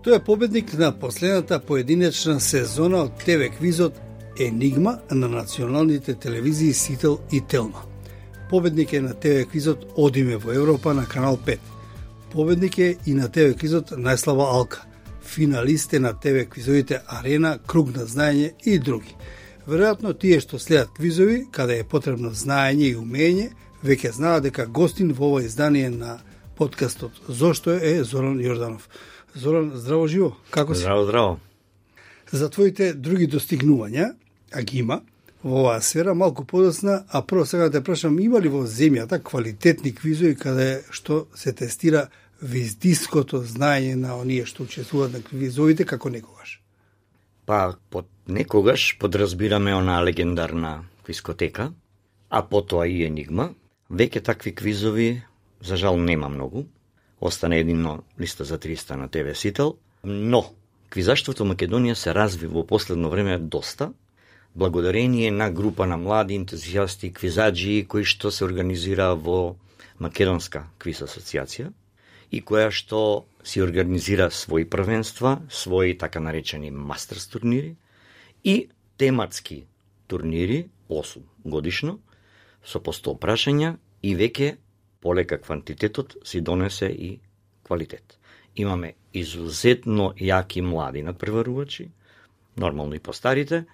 Тој е победник на последната поединечна сезона од ТВ квизот Енигма на националните телевизии Сител и Телма. Победник е на ТВ квизот Одиме во Европа на Канал 5. Победник е и на ТВ квизот Најслава Алка. Финалист е на ТВ квизовите Арена, Круг на знаење и други. Веројатно тие што следат квизови, каде е потребно знаење и умење, веќе знаат дека гостин во ова издание на подкастот Зошто е Зоран Јорданов. Зоран, здраво живо, како си? Здраво, здраво. За твоите други достигнувања, а ги има, во оваа сфера малку подоцна, а прво сега да те прашам, има ли во земјата квалитетни квизови каде што се тестира виздиското знаење на оние што учествуваат на квизовите како некогаш? Па, под некогаш подразбираме она легендарна квизкотека, а потоа и Енигма. Веќе такви квизови, за жал, нема многу. Остане едино листа за 300 на ТВ Сител, но квизаштвото Македонија се разви во последно време доста, благодарение на група на млади ентузијасти, квизаджи, кои што се организира во Македонска квиз асоциација и која што си организира своји првенства, своји така наречени мастерс турнири и тематски турнири, 8 годишно, со по 100 прашања и веќе полека квантитетот си донесе и квалитет. Имаме изузетно јаки млади надпреварувачи, нормално и постарите,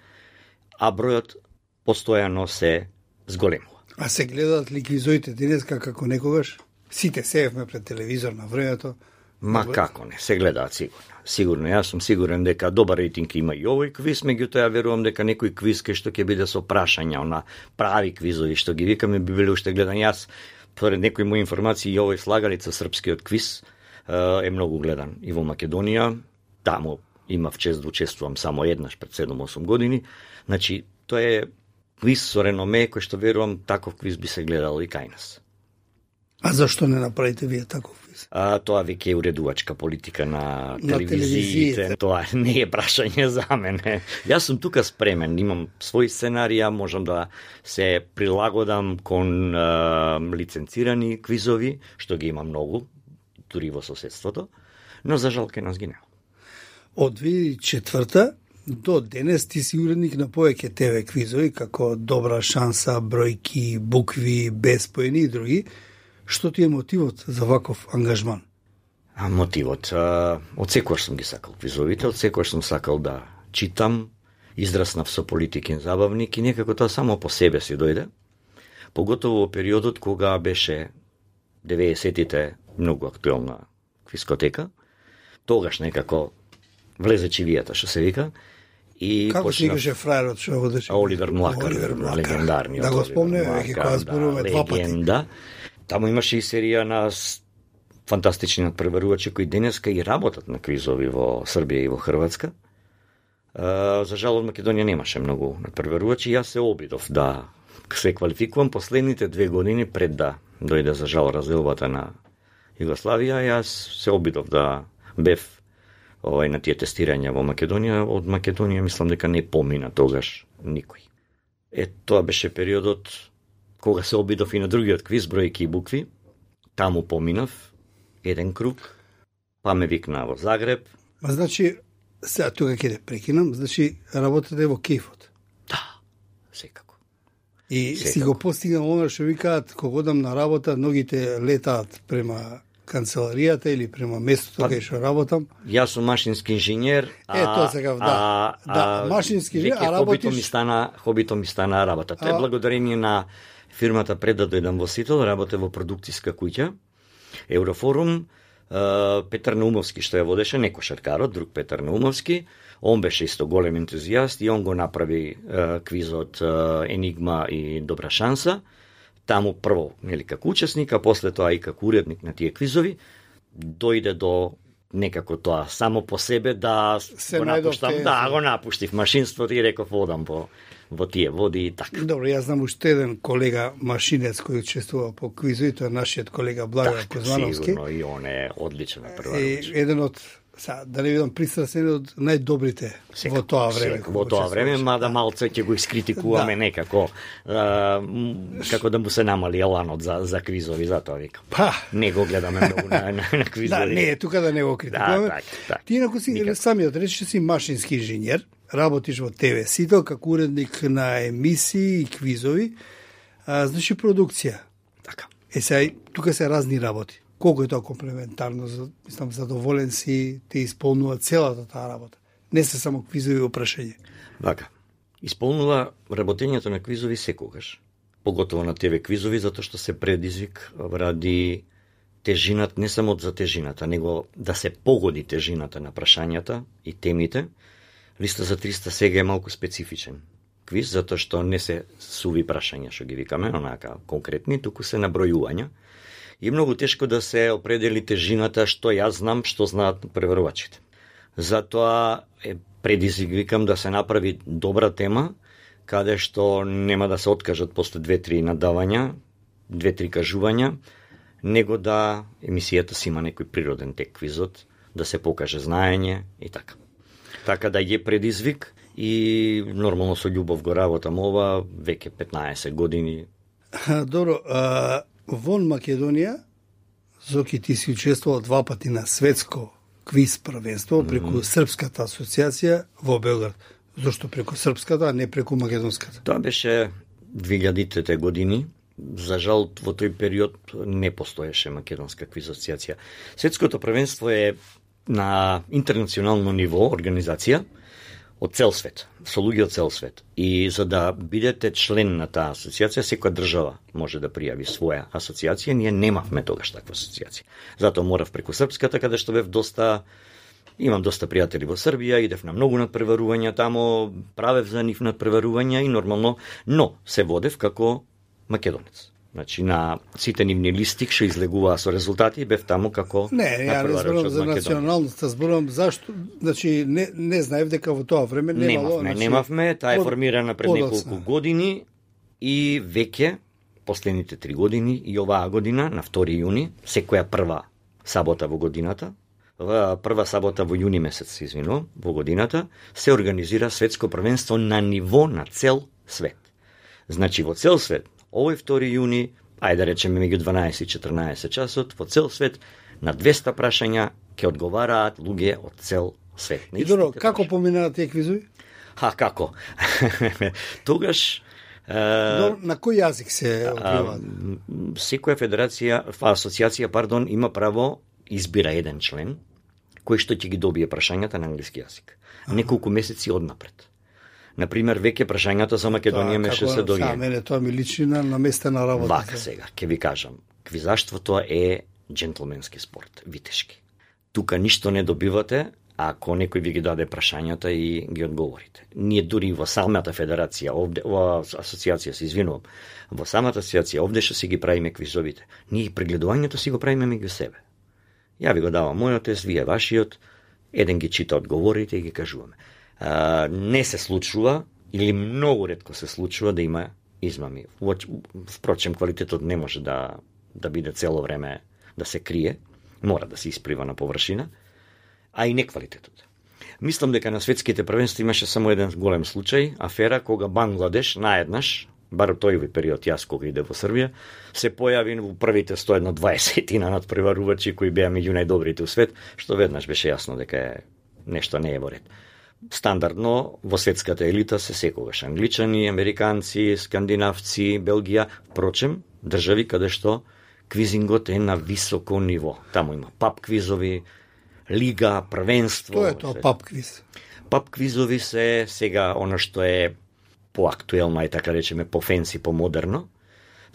а бројот постојано се зголемува. А се гледаат ли квизовите денеска како некогаш? Сите сеевме пред телевизор на времето. Ма како не, се гледаат сигурно. Сигурно, јас сум сигурен дека добар рейтинг има и овој квиз, меѓутоа ја верувам дека некој квиз кај што ќе биде со прашања, она прави квизови што ги викаме би биле уште гледан. Јас според некои мои информации и овој слагалица српскиот квиз е многу гледан и во Македонија. Таму имав чест да учествувам само еднаш пред 7-8 години. Значи, тоа е квиз со реноме кој што верувам таков квиз би се гледал и кај нас. А зашто не направите вие таков квиз? Тоа веќе е уредувачка политика на телевизиите. Тоа не е прашање за мене. Јас сум тука спремен, имам своји сценарија, можам да се прилагодам кон лиценцирани квизови, што ги има многу, дури во соседството, но за жал ке нас ги нема. Од 2004 до денес ти си уредник на повеќе ТВ квизови, како Добра шанса, Бројки, Букви, Безпоени и други. Што ти е мотивот за ваков ангажман? Мотивот? Одсекогаш сум ги сакал квизовите, одсекогаш сум сакал да читам, израснав со политикин забавник и некако тоа само по себе си дојде. Поготово во периодот кога беше 90-тите многу актуелна квизкотека, тогаш некако влезе чивијата, што се вика. И како се викаше фраерот што водеше? Оливер Млакар, легендарниот. Да го спомнеме, веќе кога зборуваме два пати. Легенда. Таму имаше и серија на фантастични надпреварувачи кои денеска и работат на квизови во Србија и во Хрватска. За жал од Македонија немаше многу надпреварувачи. Јас се обидов да се квалификувам последните 2 години пред да дојде за жал разделбата на Југославија. Јас се обидов да бев на тие тестирања во Македонија. Од Македонија мислам дека не помина тогаш никој. Тоа беше периодот кога се обидов и на другиот квиз, Бројки и Букви. Таму поминав еден круг, па ме викна во Загреб. Значи, сега тука ќе те прекинам, значи работате во кејфот. Да, секако. И си го постигнал оно што викаат, кога одам на работа, ногите летаат према канцеларијата или према местото кај што работам. Јас сум машински инженер, тоа сега, да, машински инженер, а работиш... Хобито ми стана работа. Тоа е благодарение на фирмата пред да дојдам во Сител, работе во продукцијска куќа, Еврофорум, Петар Наумовски што ја водеше, не кошаркарот, друг Петар Наумовски, он беше исто голем ентузијаст и он го направи квизот Енигма и Добра шанса. Таму прво, нели, како учесник, а после тоа и како уредник на тие квизови, дојде до некако тоа само по себе да се го напуштам, го напуштив машинството и реков одам во тие води и така. Добро, јас знам уште еден колега машинец кој учествува по квизови, тоа е нашиот колега Благој Кузмановски. Сигурно, и он е одличен на прва. Еден од Да не бидам пристрасен од најдобрите во тоа време. Во тоа време, мада малце ќе го искритикуваме некако, како да му се намали еланот за квизови, затоа викам. Не го гледаме многу на квизови. Не, тука да не го критикуваме. Ти инаку си самиот рече си машински инженер, работиш во ТВ Сител како уредник на емисии и квизови, значи продукција. Така. Сега, тука се разни работи. Колку е тоа комплементарно, мислам, задоволен си, те исполнува целата таа работа. Не се само квизови опрашање. Така. Исполнува работењето на квизови секогаш. Поготово на ТВ квизови, затоа што се предизвик ради тежинат, не само за тежината, него да се погоди тежината на прашањата и темите. Листа за 300 сега е малку специфичен квиз, затоа што не се суви прашања, што ги викаме, онака конкретни, туку се набројувања. И многу тешко да се определи тежината што јас знам, што знаат преварувачите. Затоа е предизвик, викам, да се направи добра тема, каде што нема да се откажат после 2-3 надавања, 2-3 кажувања, него да емисијата си има некој природен тек квизот, да се покаже знаење и така. Така да е предизвик и нормално со љубов го работам ова веќе 15 години. Добро, вон Македонија, Зоки, ти си учествувал 2 пати на светско квиз првенство преку Српската асоциација во Белград. Зошто преку Српската, а не преку Македонската? Тоа беше 2000-те години. За жал, во тој период не постоеше Македонска квиз асоциација. Светското првенство е на интернационално ниво организација од цел свет, со луѓе од цел свет. И за да бидете член на таа асоциација, секоја држава може да пријави своја асоциација. Ние немавме тогаш таква асоциација. Затоа морав преку Српската, каде што бев имам доста пријатели во Србија, идев на многу надпреварувања тамо, правев за нив надпреварувања и нормално, но се водев како македонец. Значи, на сите нивни листи што излегуваа со резултати, бев таму како ја не зборам за националноста, зборам зашто, значи, не знаев дека во тоа време немавме, таа е формирана пред неколку години и веќе последните 3 години и оваа година, на 2 јуни, секоја прва сабота во годината, прва сабота во јуни месец, во годината, се организира светско првенство на ниво на цел свет. Значи, во цел свет, овој 2 јуни, ајде да речеме меѓу 12 и 14 часот, во цел свет, на 200 прашања ќе одговараат луѓе од цел свет. И добро, како поминаат тие квизови? Како? Тогаш... На кој јазик се одбиваат? Секоја асоциација, има право избира еден член, кој што ќе ги добие прашањата на англиски јазик. Неколку месеци однапред. Например, веќе прашањата за Македонија меше се доѓа. Мене тоа ми личи на наместена работа. Вака сега, ќе ви кажам. Квизаштвото е джентлменски спорт, витешки. Тука ништо не добивате ако некој ви ги даде прашањата и ги одговорите. Ние дури во самата федерација, во асоциација се извинувам, во самата асоциација овде што си ги правиме квизовите, ние прегледувањето си го правиме меѓу себе. Ја ви го давам мојот тест, вие вашиот, еден ги чита одговорите и ги кажуваме. Не се случува, или многу ретко се случува да има измами. Впрочем, квалитетот не може да биде цело време да се крие, мора да се исприва на површина, а и не квалитетот. Мислам дека на светските првенства имаше само еден голем случај, афера кога Бангладеш наеднаш, бар тој период јас кога иде во Србија, се појави во првите 120 надпреварувачи кои беа меѓу најдобрите у свет, што веднаш беше јасно дека нешто не е во ред. Стандардно во светската елита се секогаш англичани, американци, скандинавци, Белгија, впрочем, држави каде што квизингот е на високо ниво. Таму има паб квизови, лига, првенство. Тоа е тоа паб квиз? Паб квизови се сега оно што е поактуелно, и така речеме, по фенси, по модерно.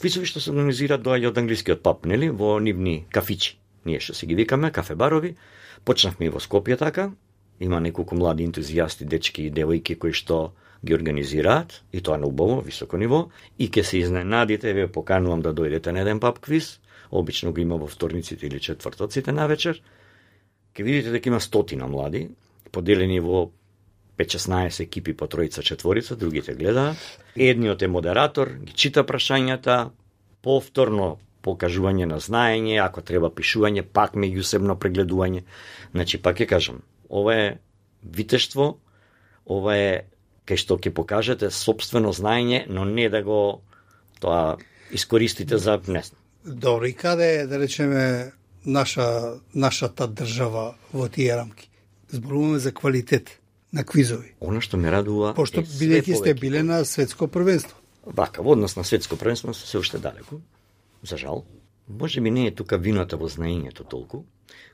Квизови што се организираат доаѓа од англискиот паб, нели, во нивни кафичи. Ние што си ги викаме, кафе-барови. Почнавме и во Скопје така. Има неколку млади ентузијасти, дечки и девојки кои што ги организираат, и тоа на убаво, високо ниво, и ќе се изненадите, ве поканувам да дојдете на еден паб квиз, обично го има во вторниците или четвртоците на вечер, ќе видите дека има 100 млади, поделени во 5-16 екипи по тројца-четворица, другите гледаат. Едниот е модератор, ги чита прашањата, повторно покажување на знаење, ако треба пишување, пак меѓусебно прегледување. Значи, пак ќе кажам, ова е витештво, ова е кај што ќе покажете собствено знаење, но не да го тоа искористите за не знам. Добро, и каде е, да речеме, нашата држава во тие рамки? Зборуваме за квалитет на квизови. Она што ме радува пошто бидејќи сте биле на светско првенство. Вака, во однос на светско првенство се уште далеко. За жал. Може би не е тука вината во знаењето толку,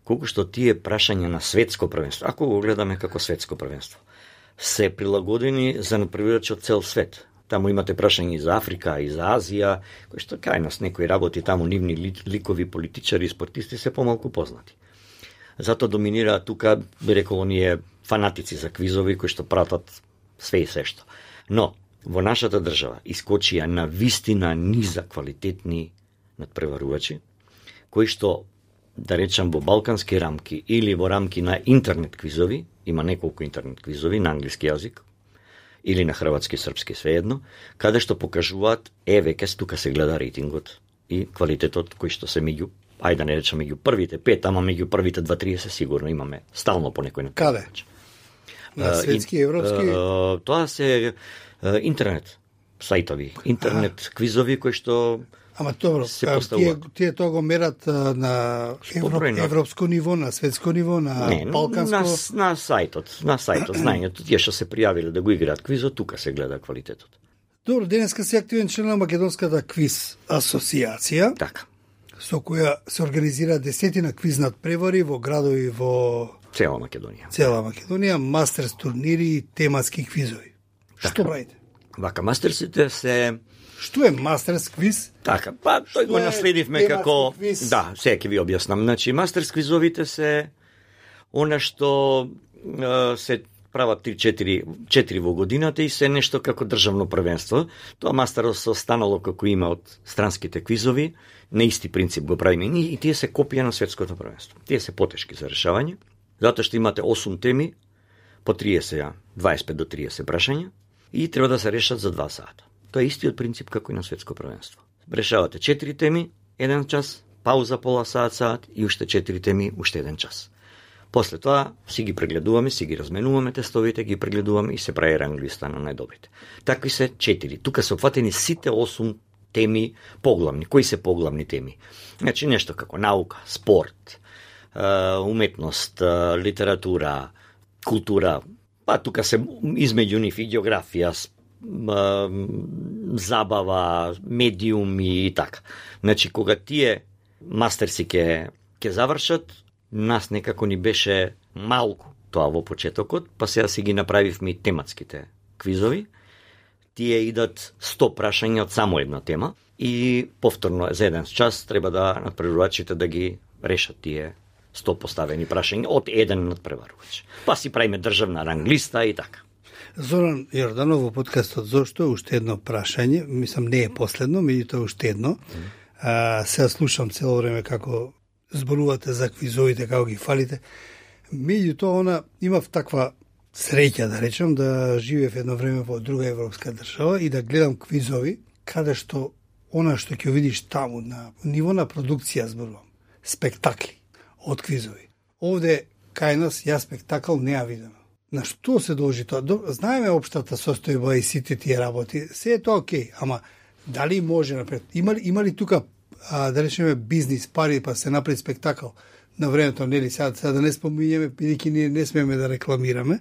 колку што тие прашања на светско првенство, ако го гледаме како светско првенство, се прилагодени за надпреварувачи од цел свет. Таму имате прашања и за Африка, и за Азија, кои што кај нас некои работи таму, нивни ликови политичари и спортисти се помалку познати. Затоа доминираат тука, би рекол, оние фанатици за квизови кои што пратат све и се што. Но, во нашата држава искочија на вистина низа квалитетни надпреварувачи, кои што, да речам, во балкански рамки или во рамки на интернет квизови, има неколку интернет квизови на англиски јазик, или на хрватски, српски, svejedno, каде што покажуваат, веќе тука се гледа рейтингот и квалитетот кој што се меѓу, ајде да не речам меѓу првите 5, ама меѓу првите 2-30 сигурно имаме стално по некој надпреварач. Каде? На светски, европски? Тоа се интернет сајтови, интернет квизови кои што Ама добро, тие тоа го мерат на европско ниво, на светско ниво, на балканско? На сајтот, знаењето, тие што се пријавиле да го играат квизот, тука се гледа квалитетот. Добро, денеска си активен член на Македонската квиз асоциација, така, со која се организира десетина квиз надпревари во градови во цела Македонија. Цела Македонија, мастерс турнири и тематски квизови. Така. Што правите? Вака, мастерсите се... Што е мастерс квиз? Така, па тој го наследивме како... Квиз? Да, сега ќе ви објаснам. Значи, мастерс квизовите се она што се прават 3-4 во годината и се нешто како државно првенство. Тоа мастерс останало како има од странските квизови, на исти принцип го правиме и тие се копија на светското првенство. Тие се потешки за решавање, затоа што имате 8 теми, по 30, 25 до 30 прашања и треба да се решат за 2 сата. Тоа е истиот принцип како и на светско првенство. Решавате 4 теми, 1 час, пауза пола саат и уште 4 теми, уште 1 час. После тоа си ги прегледуваме, си ги разменуваме тестовите, ги прегледуваме и се прави ранг листа на најдобрите. Такви се 4. Тука се опфатени сите 8 теми поглавни. Кои се поглавни теми? Значи нешто како наука, спорт, уметност, литература, култура, па тука се измеѓу нив и географија, забава, медиуми и така. Значи, кога тие мастерси ќе завршат, нас некако ни беше малку тоа во почетокот, па сега си ги направивме и тематските квизови. Тие идат 100 прашања од само една тема и повторно за 1 час треба да надпреварувачите да ги решат тие 100 поставени прашања од еден надпреварувач. Па си правиме државна ранглиста и така. Зоран Јорданов во подкастот Зошто уште едно прашање, мислам не е последно, меѓутоа уште едно. Сега слушам цело време како зборувате за квизовите, како ги фалите. Меѓутоа она имав таква среќа да речем да живеев едно време во друга европска држава и да гледам квизови каде што она што ќе видиш таму на ниво на продукција зборувам, спектакли од квизови. Овде кај нас ја спектакл не ја видам. На што се должи тоа? Знаеме општата состојба и сите тие работи. Се е тоа окей, ама дали може напред? Има ли тука, да речеме, бизнис, пари, па се направи спектакл на времето, нели? Сега да не споминјаме, бидејќи ние не смееме да рекламираме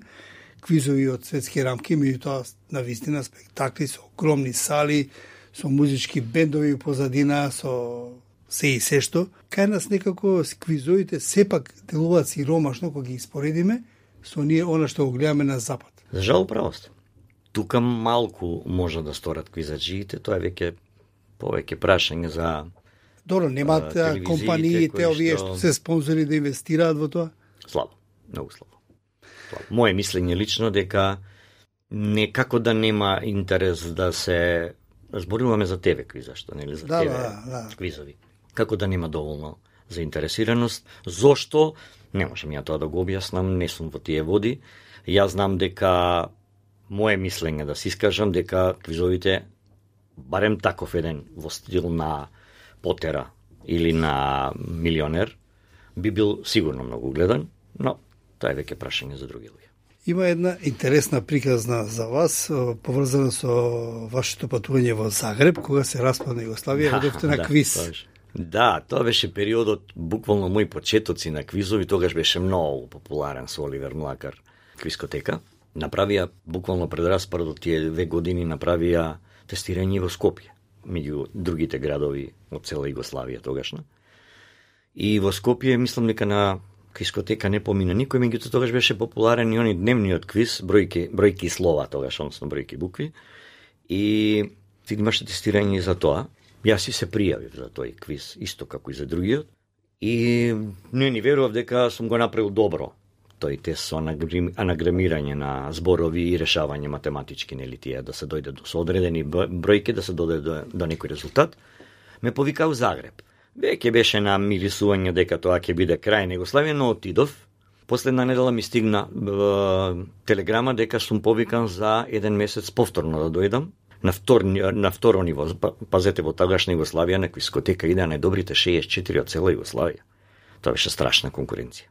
квизови од светски рамки, меѓутоа на вистина спектакли со огромни сали, со музички бендови позадина, со се и се што. Кај нас некако квизовите сепак делуваат сиромашно кога ги испоредиме со ние она што го гледаме на запад. За жал право сте. Тука малку може да сторат квизаджиите, тоа е веќе повеќе прашање за Добро, немаат компаниите овие што се спонзори да инвестираат во тоа? Слабо, многу слабо. Моje мислење лично дека некако да нема интерес да се зборуваме за ТВ квиза, што нели за ТВ квизови. Како да нема доволно заинтересираност, зошто не можам ја тоа да го објаснам, не сум во тие води. Јас знам дека моje мислење да се искажам дека квизовите барем таков еден во стил на Потера, или на Милионер, би бил сигурно многу гледан, но тоа е веќе прашање за други луѓе. Има една интересна приказна за вас, поврзана со вашето патување во Загреб, кога се распадна Југославија, одевте на квиз. Тоа беше периодот, буквално мои почетоци на квизови, тогаш беше многу популарен со Оливер Млакар, квискотека. Направија, буквално пред распадот тие 2 години, направија тестирање во Скопје, меѓу другите градови од цела Југославија тогашна. И во Скопје, мислам дека на квискотека не помина никој, меѓутоа тогаш беше популарен и они дневниот квиз, бројки слова тогаш, односно бројки букви. И имаше тестирање за тоа. Јас си се пријавив за тој квиз, исто како и за другиот. И не ни верував дека сум го направил добро. Тој тест со анаграмирање на зборови и решавање математички, нели тие, да се дојде со одредени бројки, да се дојде до некој резултат. Ме повика у Загреб. Веќе беше на мирисување дека тоа ќе биде крај на Југославија, но отидов. Последна недела ми стигна телеграма дека сум повикан за 1 месец повторно да дојдам на второ ниво. Пазете, во тогашна Југославија на квискотека идеа најдобрите 64 од цела Југославија. Тоа беше страшна конкуренција.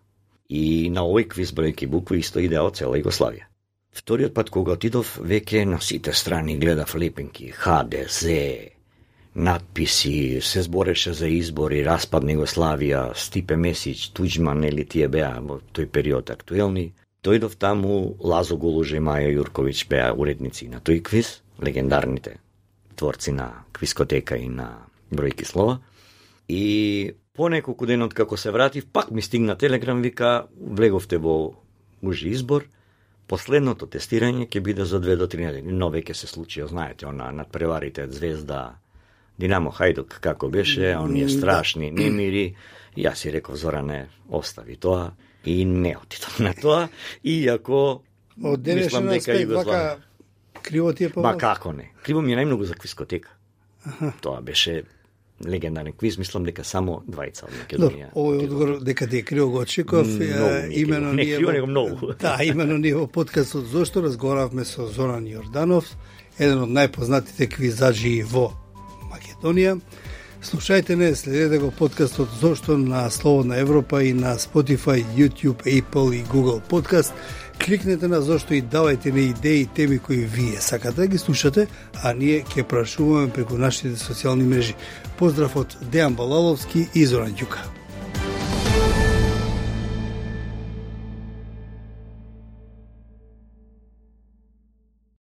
И на овој квиз бројки букви исто идеа од цела Југославија. Вториот пат кога отидов, веќе на сите страни гледав лепенки, ХДС, надписи, се збореше за избори, распад на Југославија, Стипе Месиќ, Туџман, или тие беа во тој период актуелни. Дојдов таму, Лазо Голуже и Маја Јурковиќ беа уредници на тој квиз, легендарните творци на квискотека и на бројки слова. И по неколку ден од како се вратив, пак ми стигна телеграм, вика, влеговте во ужи избор, последното тестирање ќе биде за 2 до 3 недели. Но веќе се случи, знаете, она надпреварите Звезда, Динамо, Хајдук, како беше, оние страшни немири. Јас си реков, Зоране, остави тоа и не отидов на тоа, иако мислам дека Југославија криво ти е помал? Ба како не? Криво ми е најмногу за квискотека. Тоа беше легендарен квиз, мислам дека само 2 од Македонија. Овој одговор дека ти е криво го очеков, имено не криво, него многу. Да, имено ние во подкастот Зошто разговаравме со Зоран Јорданов, еден од најпознатите квизаджи во Македонија. Слушајте не, следете го подкастот Зошто на Слободна Европа и на Spotify, YouTube, Apple и Google Podcast. Кликнете на Зошто и давајте ни идеи и теми кои вие сакате да ги слушате, а ние ќе прашуваме преку нашите социјални мрежи. Поздрав од Дејан Балаловски и Зоран Ѓука.